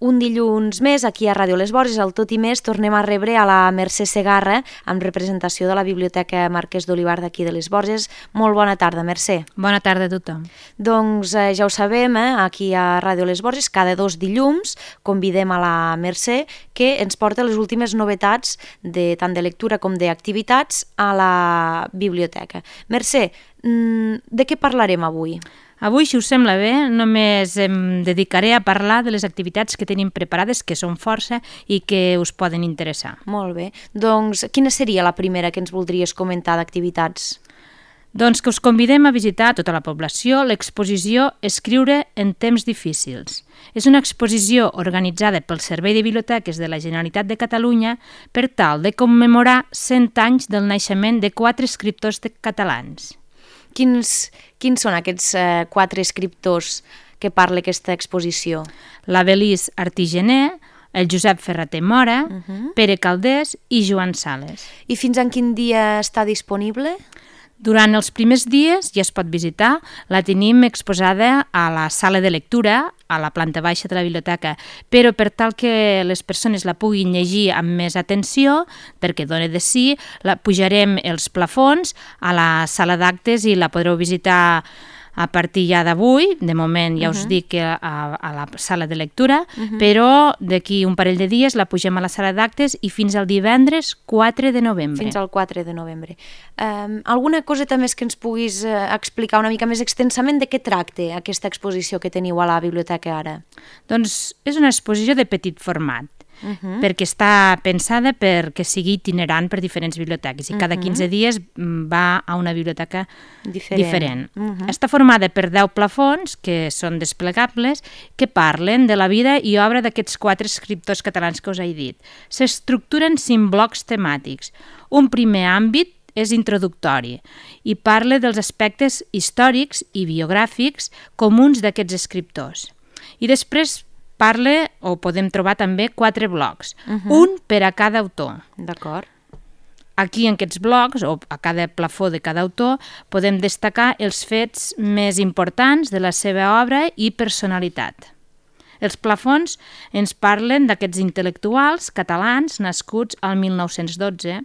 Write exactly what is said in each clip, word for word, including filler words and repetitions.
Un dilluns més, aquí a Ràdio Les Borges, al Tot i Més, tornem a rebre a la Mercè Segarra, amb representació de la Biblioteca Marquès d'Olivar d'aquí de Les Borges. Molt bona tarda, Mercè. Bona tarda a tothom. Doncs eh, ja ho sabem, eh, aquí a Ràdio Les Borges, cada dos dilluns convidem a la Mercè que ens porta les últimes novetats de, tant de lectura com d'activitats a la biblioteca. Mercè, de què parlarem avui? Avui, si us sembla bé, només em dedicaré a parlar de les activitats que tenim preparades, que són força i que us poden interessar. Molt bé. Doncs quina seria la primera que ens voldries comentar d'activitats? Doncs que us convidem a visitar a tota la població l'exposició Escriure en temps difícils. És una exposició organitzada pel Servei de Biblioteques de la Generalitat de Catalunya per tal de commemorar cent anys del naixement de quatre escriptors catalans. Quins, quins són aquests eh, quatre escriptors que parla aquesta exposició? La Belice Artigener, el Josep Ferrater Mora, uh-huh. Pere Calders i Joan Sales. I fins en quin dia està disponible? Durant els primers dies ja es pot visitar, la tenim exposada a la sala de lectura, a la planta baixa de la biblioteca, però per tal que les persones la puguin llegir amb més atenció, perquè dona de si, la pujarem els plafons a la sala d'actes i la podreu visitar a partir ja d'avui, de moment ja uh-huh. us dic que a, a la sala de lectura, uh-huh. però d'aquí un parell de dies la pugem a la sala d'actes i fins al divendres quatre de novembre. Fins al quatre de novembre. Um, alguna coseta més que ens puguis uh, explicar una mica més extensament de què tracta aquesta exposició que teniu a la biblioteca ara? Doncs és una exposició de petit format, Uh-huh. perquè està pensada perquè sigui itinerant per diferents biblioteques i cada quinze dies va a una biblioteca diferent. diferent. Uh-huh. Està formada per deu plafons que són desplegables que parlen de la vida i obra d'aquests quatre escriptors catalans que us he dit. S'estructuren cinc blocs temàtics. Un primer àmbit és introductori i parla dels aspectes històrics i biogràfics comuns d'aquests escriptors. I després parla, o podem trobar també, quatre blocs, uh-huh. un per a cada autor. D'acord. Aquí, en aquests blocs, o a cada plafó de cada autor, podem destacar els fets més importants de la seva obra i personalitat. Els plafons ens parlen d'aquests intel·lectuals catalans nascuts al mil nou-cents dotze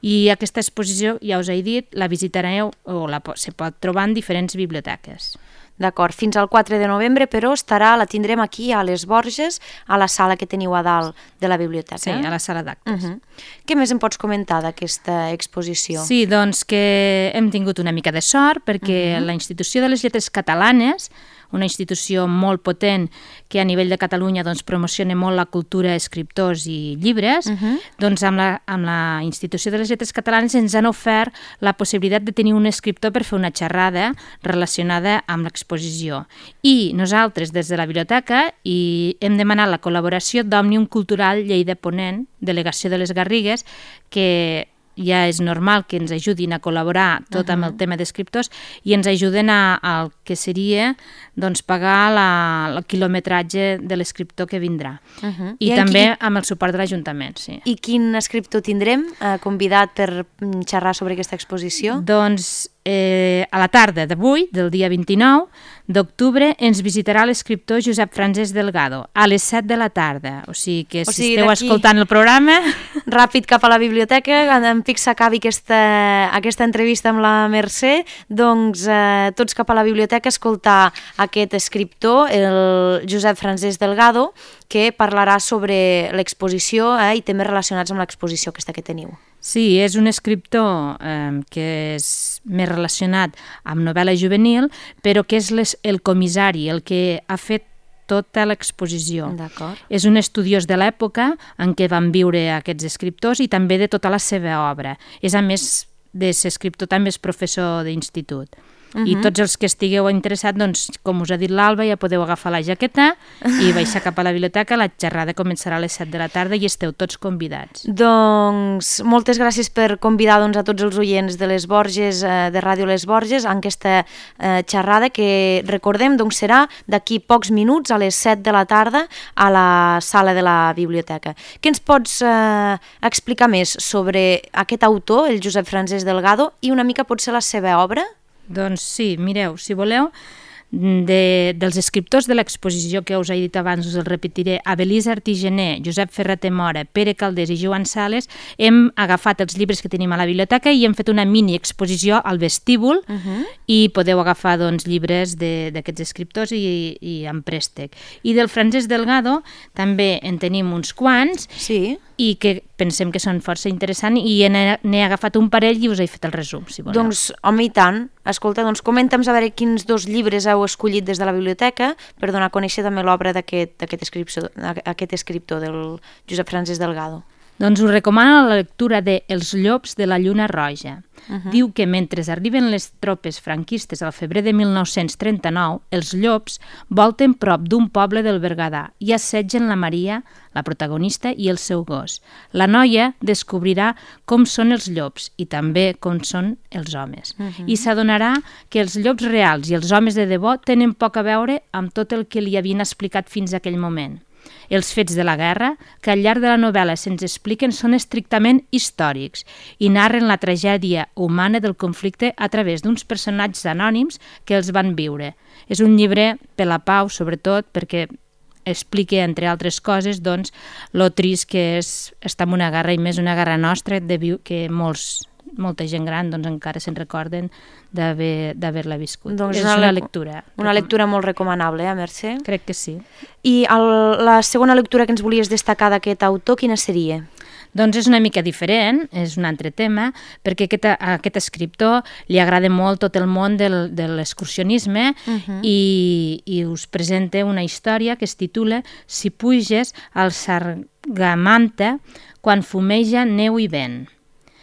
i aquesta exposició, ja us he dit, la visitareu o la, se pot trobar en diferents biblioteques. D'acord, fins al quatre de novembre, però estarà, la tindrem aquí a Les Borges, a la sala que teniu a dalt de la biblioteca. Sí, a la sala d'actes. Uh-huh. Què més em pots comentar d'aquesta exposició? Sí, doncs que hem tingut una mica de sort perquè uh-huh. la Institució de les Lletres Catalanes, una institució molt potent que a nivell de Catalunya doncs, promociona molt la cultura, escriptors i llibres, uh-huh. doncs amb la, amb la Institució de les Lletres Catalanes ens han ofert la possibilitat de tenir un escriptor per fer una xerrada relacionada amb l'exposició. I nosaltres, des de la biblioteca, i hem demanat la col·laboració d'Òmnium Cultural Lleida Ponent, delegació de les Garrigues, que ja és normal que ens ajudin a col·laborar tot uh-huh. amb el tema d'escriptors i ens ajuden a, al que seria doncs, pagar la, el quilometratge de l'escriptor que vindrà. Uh-huh. I, I també qui... amb el suport de l'Ajuntament. Sí. I quin escriptor tindrem eh, convidat per xerrar sobre aquesta exposició? Doncs eh, a la tarda d'avui, del dia vint-i-nou d'octubre, ens visitarà l'escriptor Josep Francesc Delgado a les set de la tarda. O sigui que si o sigui, esteu escoltant el programa... Ràpid cap a la biblioteca, en pic s'acabi aquesta, aquesta entrevista amb la Mercè, doncs eh, tots cap a la biblioteca a escoltar aquest escriptor, el Josep Francesc Delgado, que parlarà sobre l'exposició eh, i temes relacionats amb l'exposició aquesta que teniu. Sí, és un escriptor eh, que és més relacionat amb novel·la juvenil, però que és les, el comissari, el que ha fet tota l'exposició. D'acord. És un estudiós de l'època en què van viure aquests escriptors i també de tota la seva obra. És, a més de ser escriptor, també és professor d'institut. Uh-huh. I tots els que estigueu interessats, doncs, com us ha dit l'Alba, ja podeu agafar la jaqueta i baixar cap a la biblioteca. La xerrada començarà a les set de la tarda i esteu tots convidats. Doncs moltes gràcies per convidar doncs, a tots els oients de Les Borges, eh, de Ràdio Les Borges, en aquesta eh, xerrada que, recordem, doncs, serà d'aquí pocs minuts, a les set de la tarda, a la sala de la biblioteca. Què ens pots eh, explicar més sobre aquest autor, el Josep Francesc Delgado, i una mica potser la seva obra? Doncs sí, mireu, si voleu, de, dels escriptors de l'exposició que us he dit abans, us el repetiré, Abelís Artigener, Josep Ferrater Mora, Pere Calders i Joan Sales, hem agafat els llibres que tenim a la biblioteca i hem fet una mini exposició al vestíbul uh -huh. i podeu agafar doncs, llibres d'aquests escriptors i, i en préstec. I del Francesc Delgado també en tenim uns quants sí. i que pensem que són força interessants i n'he agafat un parell i us he fet el resum, si voleu. Doncs, home, i tant. Escolta, doncs comenta'ns a veure quins dos llibres heu escollit des de la biblioteca per donar a conèixer també l'obra d'aquest escriptor, aquest escriptor, del Josep Francesc Delgado. Doncs us recomano la lectura de Els llops de la lluna roja. Uh -huh. Diu que mentre arriben les tropes franquistes al febrer de mil nou-cents trenta-nou, els llops volten prop d'un poble del Berguedà i assetgen la Maria, la protagonista, i el seu gos. La noia descobrirà com són els llops i també com són els homes. Uh -huh. I s'adonarà que els llops reals i els homes de debò tenen poc a veure amb tot el que li havien explicat fins a aquell moment. Els fets de la guerra, que al llarg de la novel·la se'ns expliquen, són estrictament històrics i narren la tragèdia humana del conflicte a través d'uns personatges anònims que els van viure. És un llibre per la pau, sobretot, perquè explica, entre altres coses, doncs, lo trist que és estar en una guerra, i més una guerra nostra, de viu, que molts, molta gent gran doncs, encara se'n recorden d'haver-la viscut. Doncs és una, una lectura. Una lectura molt recomanable, eh, Mercè? Crec que sí. I el, la segona lectura que ens volies destacar d'aquest autor, quina seria? Doncs és una mica diferent, és un altre tema, perquè aquest, a aquest escriptor li agrada molt tot el món del, de l'excursionisme uh -huh. i, i us presenta una història que es titula Si puges al Sargamanta quan fumeja neu i vent.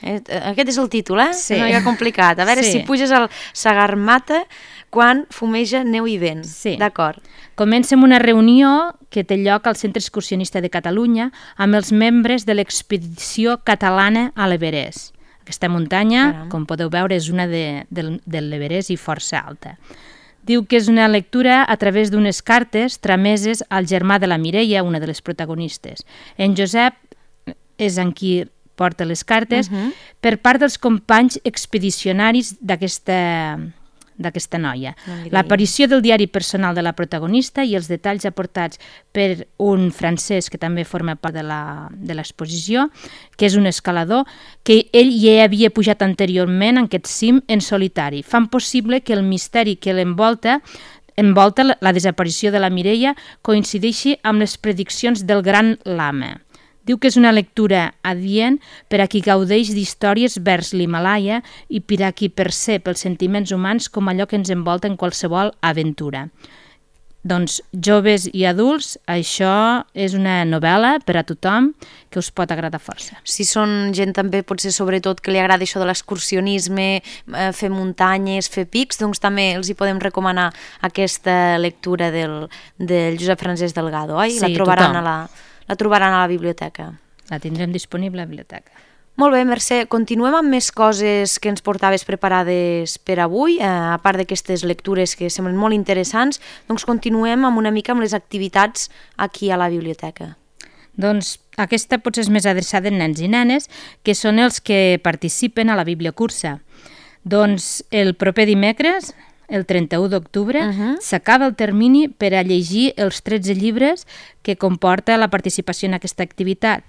Aquest és el títol, eh? Sí. És una mica complicat. A veure, sí. Si puges al Sagarmata quan fumeja neu i vent. Sí. D'acord. Comença amb una reunió que té lloc al Centre Excursionista de Catalunya amb els membres de l'expedició catalana a l'Everest. Aquesta muntanya, Caram. com podeu veure, és una de, de, de l'Everest i força alta. Diu que és una lectura a través d'unes cartes trameses al germà de la Mireia, una de les protagonistes. En Josep és en qui porta les cartes, uh -huh. per part dels companys expedicionaris d'aquesta d'aquesta noia. L'aparició del diari personal de la protagonista i els detalls aportats per un francès que també forma part de l'exposició, que és un escalador, que ell ja havia pujat anteriorment en aquest cim en solitari. Fan possible que el misteri que l'envolta envolta la desaparició de la Mireia coincideixi amb les prediccions del gran lama. Diu que és una lectura adient per a qui gaudeix d'històries vers l'Himalaya i per a qui percep els sentiments humans com allò que ens envolta en qualsevol aventura. Doncs, joves i adults, això és una novel·la per a tothom que us pot agradar força. Si són gent també, potser sobretot, que li agrada això de l'excursionisme, fer muntanyes, fer pics, doncs també els hi podem recomanar aquesta lectura del, del Josep Francesc Delgado, oi? Sí, la trobaran tothom. a la... La trobaran a la biblioteca. La tindrem disponible a la biblioteca. Molt bé, Mercè. Continuem amb més coses que ens portaves preparades per avui, eh, a part d'aquestes lectures que semblen molt interessants, doncs continuem amb una mica amb les activitats aquí a la biblioteca. Doncs aquesta potser és més adreçada a nens i nenes, que són els que participen a la bibliocursa. Doncs el proper dimecres, el trenta-u d'octubre, uh -huh. s'acaba el termini per a llegir els tretze llibres que comporta la participació en aquesta activitat.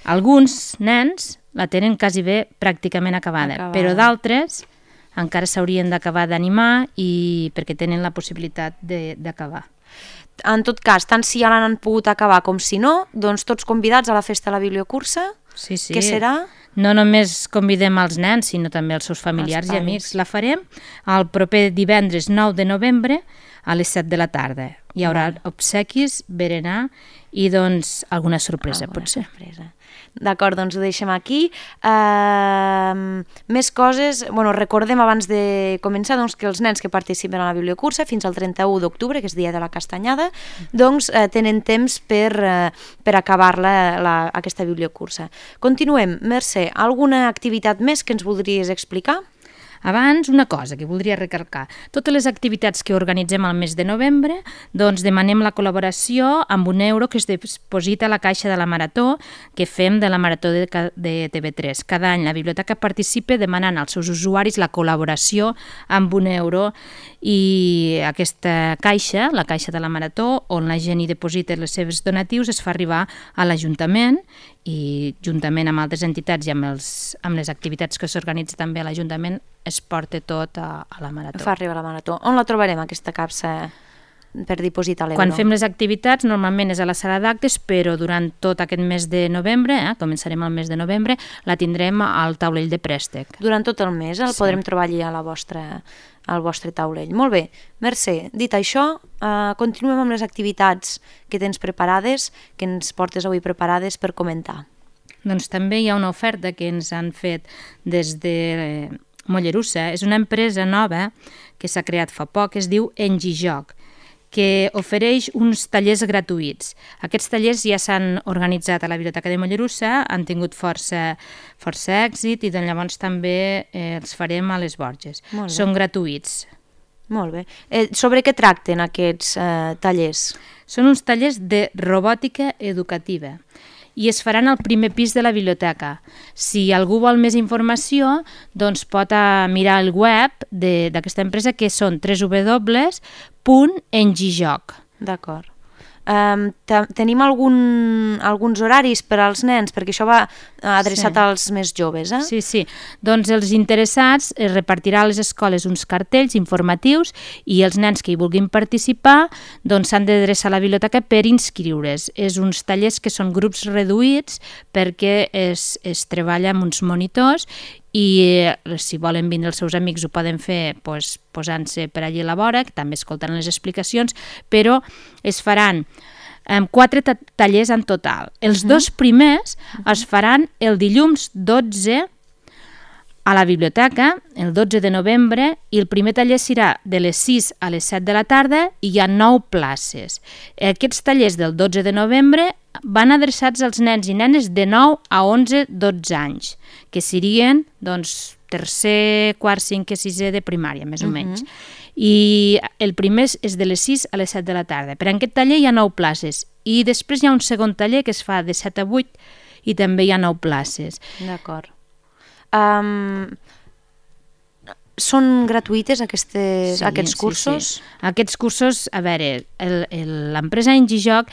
Alguns nens la tenen quasi bé pràcticament acabada, acabada. Però d'altres encara s'haurien d'acabar d'animar i perquè tenen la possibilitat d'acabar. En tot cas, tant si ja l'han pogut acabar com si no, doncs tots convidats a la festa de la bibliocursa. Sí, sí. Què serà? No només convidem els nens, sinó també els seus familiars i amics. La farem el proper divendres nou de novembre a les set de la tarda. Hi haurà obsequis, berenar i doncs alguna sorpresa, alguna potser. Sorpresa. D'acord, doncs ho deixem aquí. Uh, més coses, bueno, recordem abans de començar doncs, que els nens que participen a la bibliocursa fins al trenta-u d'octubre, que és dia de la castanyada, doncs uh, tenen temps per, uh, per acabar la, la, aquesta bibliocursa. Continuem. Mercè, alguna activitat més que ens voldries explicar? Abans, una cosa que voldria recalcar. Totes les activitats que organitzem al mes de novembre, doncs demanem la col·laboració amb un euro que es deposita a la caixa de la Marató que fem de la Marató de, de T V tres. Cada any la biblioteca participa demanant als seus usuaris la col·laboració amb un euro i aquesta caixa, la caixa de la Marató, on la gent hi deposita les seves donatius, es fa arribar a l'Ajuntament i juntament amb altres entitats i amb, els, amb les activitats que s'organitza també a l'Ajuntament es porta tot a, a la Marató. Fa arribar a la Marató. On la trobarem, aquesta capsa per dipositar l'euro? Quan fem les activitats normalment és a la sala d'actes, però durant tot aquest mes de novembre, eh, començarem el mes de novembre, la tindrem al taulell de préstec. Durant tot el mes el sí. podrem trobar allà a la vostra, al vostre taulell. Molt bé, Mercè, dit això, eh, continuem amb les activitats que tens preparades, que ens portes avui preparades per comentar. Doncs també hi ha una oferta que ens han fet des de eh, Mollerussa. És una empresa nova que s'ha creat fa poc, es diu Engijoc, que ofereix uns tallers gratuïts. Aquests tallers ja s'han organitzat a la Biblioteca de Mollerussa, han tingut força, força èxit i doncs llavors també eh, els farem a les Borges. Són gratuïts. Molt bé. Eh, sobre què tracten aquests eh, tallers? Són uns tallers de robòtica educativa i es faran al primer pis de la biblioteca. Si algú vol més informació, doncs pot mirar el web d'aquesta empresa, que són w w w punt engijoc. D'acord. Um, tenim algun, alguns horaris per als nens, perquè això va adreçat sí. als més joves, eh? Sí, sí. Doncs els interessats es repartirà a les escoles uns cartells informatius i els nens que hi vulguin participar doncs s'han d'adreçar a la biblioteca per inscriure's. És uns tallers que són grups reduïts perquè es, es treballa amb uns monitors i eh, si volen vindre els seus amics ho poden fer pues, posant-se per allí a la vora, que també escoltaran les explicacions, però es faran eh, quatre tallers en total. Els uh-huh. dos primers uh-huh. es faran el dilluns dotze a la biblioteca, el dotze de novembre, i el primer taller serà de les sis a les set de la tarda i hi ha nou places. Aquests tallers del dotze de novembre van adreçats als nens i nenes de nou a onze dotze anys, que serien doncs, tercer, quart, cinquè, sisè de primària, més o menys. Uh-huh. I el primer és de les sis a les set de la tarda. Per a aquest taller hi ha nou places i després hi ha un segon taller que es fa de set a vuit i també hi ha nou places. D'acord. Um, són gratuïtes aquestes, sí, aquests cursos? Sí, sí. Aquests cursos, a veure, l'empresa Engijoc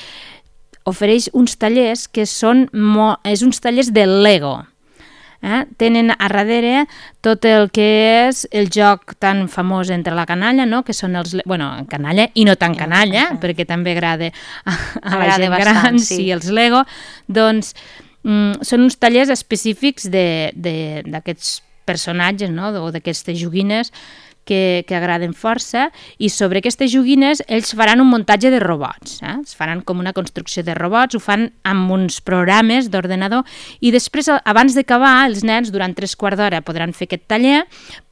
ofereix uns tallers que són mo, és uns tallers de Lego. Eh? Tenen a darrere tot el que és el joc tan famós entre la canalla, no? Que són els... Bueno, canalla i no tan canalla, uh-huh. perquè també agrada a, a la gent bastant, gran, sí. sí, els Lego. Doncs mm, són uns tallers específics d'aquests personatges, no? O d'aquestes joguines que, que agraden força, i sobre aquestes joguines ells faran un muntatge de robots, eh? Es faran com una construcció de robots, ho fan amb uns programes d'ordenador, i després, abans d'acabar, els nens durant tres quarts d'hora podran fer aquest taller,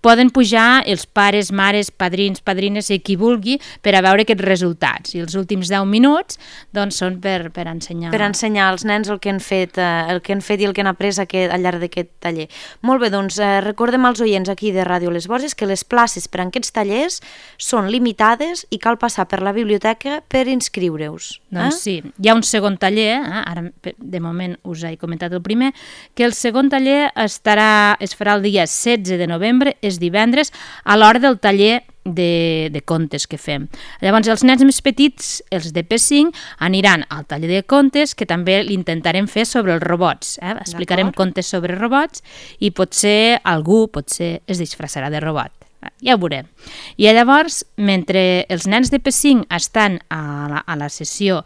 poden pujar els pares, mares, padrins, padrines i qui vulgui per a veure aquests resultats, i els últims deu minuts doncs són per, per ensenyar per ensenyar als nens el que han fet, eh, el que han fet i el que han après aquest, al llarg d'aquest taller. Molt bé, doncs eh, recordem als oients aquí de Ràdio Les Borges que les places per a aquests tallers són limitades i cal passar per la biblioteca per inscriure-us. Eh? Doncs sí, hi ha un segon taller, eh? Ara de moment us he comentat el primer, que el segon taller estarà, es farà el dia setze de novembre, és divendres, a l'hora del taller de, de contes que fem. Llavors els nens més petits, els de P cinc, aniran al taller de contes, que també l'intentarem fer sobre els robots. Eh? Explicarem contes sobre robots i potser algú potser es disfressarà de robot. Ja ho veurem. I llavors, mentre els nens de P cinc estan a la, a la sessió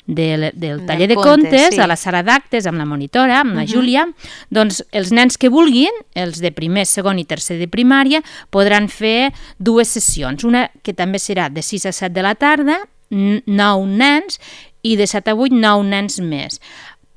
del, del taller de, de contes, contes sí. a la sala d'actes, amb la monitora, amb uh-huh. la Júlia, doncs els nens que vulguin, els de primer, segon i tercer de primària, podran fer dues sessions. Una que també serà de sis a set de la tarda, nou nens, i de set a vuit, nou nens més.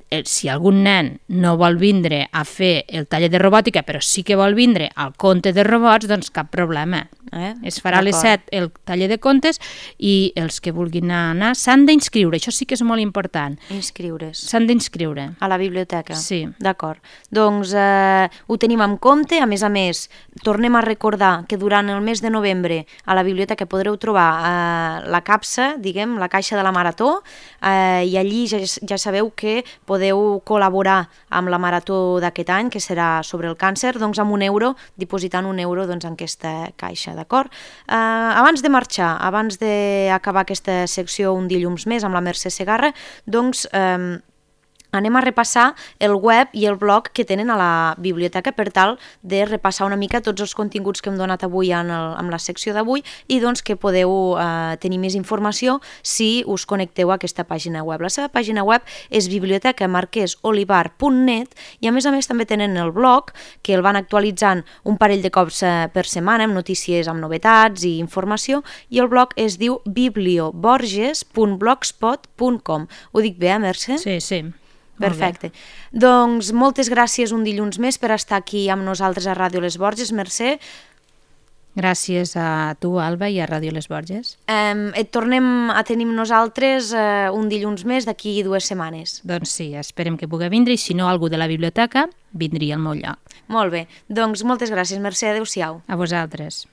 eh, si algun nen no vol vindre a fer el taller de robòtica, però sí que vol vindre al conte de robots, doncs cap problema. Eh? Es farà a les set el taller de contes i els que vulguin anar s'han d'inscriure, això sí que és molt important. Inscriure's. S'han d'inscriure. A la biblioteca? Sí. D'acord. Doncs eh, ho tenim en compte, a més a més, tornem a recordar que durant el mes de novembre a la biblioteca podreu trobar eh, la capsa, diguem, la caixa de la Marató, eh, i allí ja, ja sabeu que podeu col·laborar amb la Marató d'aquest any, que serà sobre el càncer, doncs amb un euro, dipositant un euro doncs, en aquesta caixa. D'acord? Eh, abans de marxar, abans d'acabar aquesta secció un dilluns més amb la Mercè Segarra, doncs eh, anem a repassar el web i el blog que tenen a la biblioteca per tal de repassar una mica tots els continguts que hem donat avui en, el, en la secció d'avui i doncs que podeu eh, tenir més informació si us connecteu a aquesta pàgina web. La seva pàgina web és biblioteca marquès olivar punt net i a més a més també tenen el blog que el van actualitzant un parell de cops eh, per setmana amb notícies, amb novetats i informació i el blog es diu biblioborges punt blogspot punt com. Ho dic bé, eh, Mercè? Sí, sí. Perfecte. Doncs moltes gràcies un dilluns més per estar aquí amb nosaltres a Ràdio Les Borges, Mercè. Gràcies a tu, Alba, i a Ràdio Les Borges. Eh, et tornem a tenir nosaltres eh, un dilluns més d'aquí dues setmanes. Doncs sí, esperem que pugui vindre i si no algú de la biblioteca vindria al meu lloc. Molt bé. Doncs moltes gràcies, Mercè. Adéu-siau. A vosaltres.